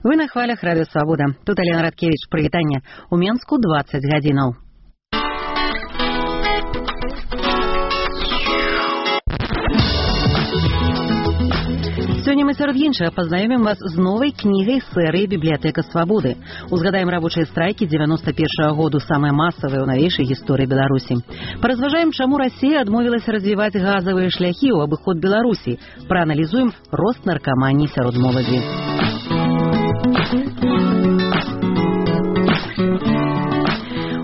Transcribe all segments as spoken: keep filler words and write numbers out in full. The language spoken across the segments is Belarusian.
Вы на хвалях Радио Свобода. Тут Алена Радкевич. Привитание. У Менску двадцать гадзінаў. Сёння мы сярод іншага пазнаёмім вас з новай кнігай серыі «Бібліятэка свабоды». Узгадаем рабочыя страйкі дзевяносто першага году, самыя масавыя ў навейшай гісторыі Беларусі. Паразважаем, чаму Расія адмовілася развіваць газавыя шляхі ў абыход Беларусі. Прааналізуем рост наркаманіі сярод моладзі.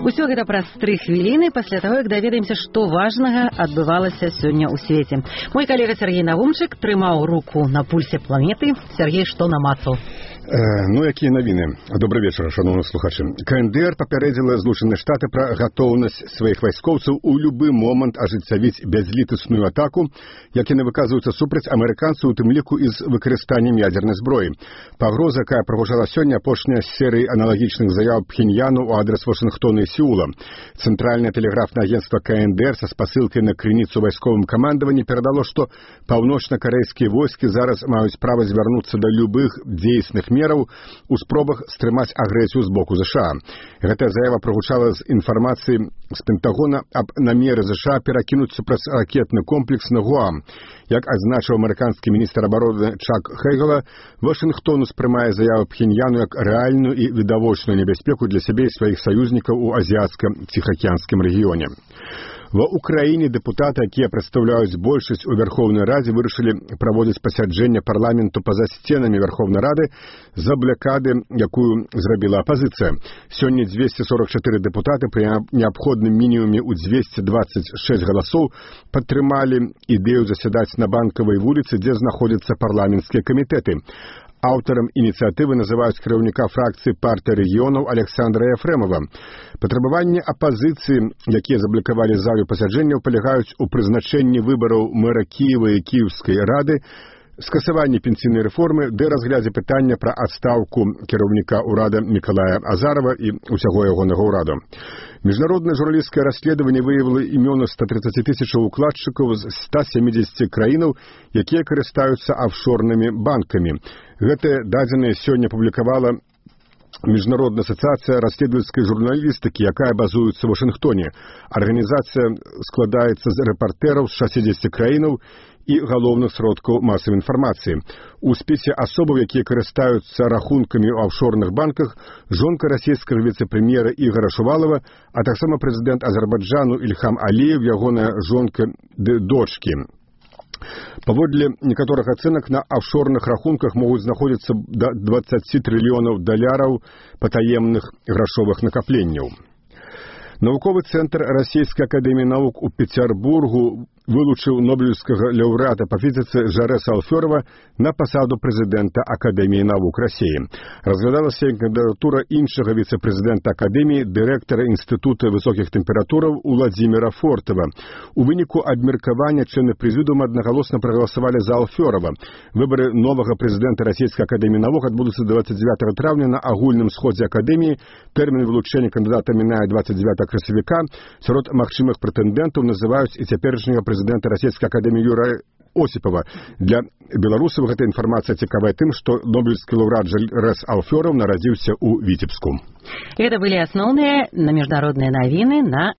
Усё гэта праз тры хвіліны пасля таго, як даведаемся, што важнага адбывалася сёння ў свеце. Мой калега Сергей Навумчык трымаў руку на пульсе планеты. Сергей, што намацаў? Э, ну, якія навіны? Добрый вечар, шановні слухачы. КНДР папярэдзіла Злучаныя Штаты пра гатоўнасць сваіх вайскоўцаў у любы момант ажыццявіць бязлітасную атаку, як яны выказваюцца супраць амерыканцаў, у тым ліку і з выкарыстаннем ядзернай зброі. Пагроза, якая прагучала сёння, апошняя з серыі аналагічных заяў Пхеньяну ў адрас Вашынгтона і Сеула. Цэнтральнае тэлеграфнае агенцтва КНДР са спасылкай на крыніцу вайсковым камандаванні перадало, што паўночна-карэйскія войскі зараз маюць права звярнуцца да любых дзейсных мераў у спробах стрымаць агрэсію з боку ЗША. Гэтая заява прагучала з інфармацыі з Пентагона аб намеры ЗША перакінуць супрацьракетны комплекс на Гуам. Як адзначыў амерыканскі міністр абароны Чак Хейгела, Вашынгтон успрымае заяву Пхеньяну як рэальную і відавочную небяспеку для сябе і сваіх саюзнікаў у азіяцка-ціхаакіянскім рэгіёне. Ва Украіне дэпутаты, якія прадстаўляюць большасць у Верховнай Радзе, вырашылі праводзіць пасяджэнне парламенту па-за сценамі Верховнай Рады з-за блакады, якую зрабіла апазіцыя. Сёння дзвесце сорок чатыры дэпутаты пры неабходным мінімуме ў дзвесце дваццаць шэсць галасоў падтрымалі ідэю засядаць на Банкавай вуліцы, дзе знаходзяцца парламенцкія камітэты. Аўтарам ініцыятывы называюць кіраўніка фракцыі партыі рэгіёнаў Александра Ефремова. Патрабаванні апазіцыі, якія заблакавалі залю пасяджэнняў, палягаюць у прызначэнні выбараў мэра Кіева і Кіеўскай рады, скасаванне пенсійнай рэформы, ды разглядзе пытання пра адстаўку кіраўніка ўрада Мікалая Азарова і ўсяго ягонага ўраду. Міжнароднае журналісцкае расследаванне выявіла імёны ста трыццаці тысячаў укладчыкаў з ста сямідзесяці краінаў, якія карыстаюцца афшорнымі банкамі. Гэтыя дадзеныя сёння публікавала Міжнародная асацыяцыя расследавальскай журналістыкі, якая базуецца ў Вашынгтоне. Арганізацыя складаецца з рэпартэраў з шасцідзесяці краінаў і галоўных сродкаў масавай інфармацыі. У спісе асобаў, якія карыстаюцца рахункамі ў афшорных банках, жонка расійскага віцэ-прэм'ера Ігора Шувалова, а таксама прэзідэнт Азербайджану Ільхам Аліев, ягоная жонка ды дочкі. Паводле некаторых ацэнак, на афшорных рахунках могуць знаходзіцца да дваццаці трыльёнаў даляраў патаемных грашовых накапленняў. Навуковы цэнтр Расійскай акадэміі навук у Пецярбургу вылучыў нобелеўскага лаўрэата па фізіцы Жарэса Алфёрова на пасаду прэзідэнта Акадэміі навук Расіі. Разглядалася кандыдатура іншага віцэ-прэзідэнта Акадэміі, дырэктара Інстытута высокіх тэмператураў Уладзіміра Фортава. У выніку абмеркавання члены прэзідыума аднагалосна прагаласавалі за Алфёрова. Выбары новага прэзідэнта Расійскай акадэміі навук адбудуцца дваццаць дзевятага траўня на агульным сходзе акадэміі. Тэрмін вылучэння кандыдата мінае дваццаць дзевятага красавіка. Сярод магчымых прэтэндэнтаў называюць і цяперашняга прэзідэнта Расійскай акадэміі Юрая Осіпова. Для беларусаў гэта інфармацыя цікавая тым, што нобелеўскі лаўрэат Жарэс Алфёров нарадзіўся ў Віцебску. Это были основные на международные новины на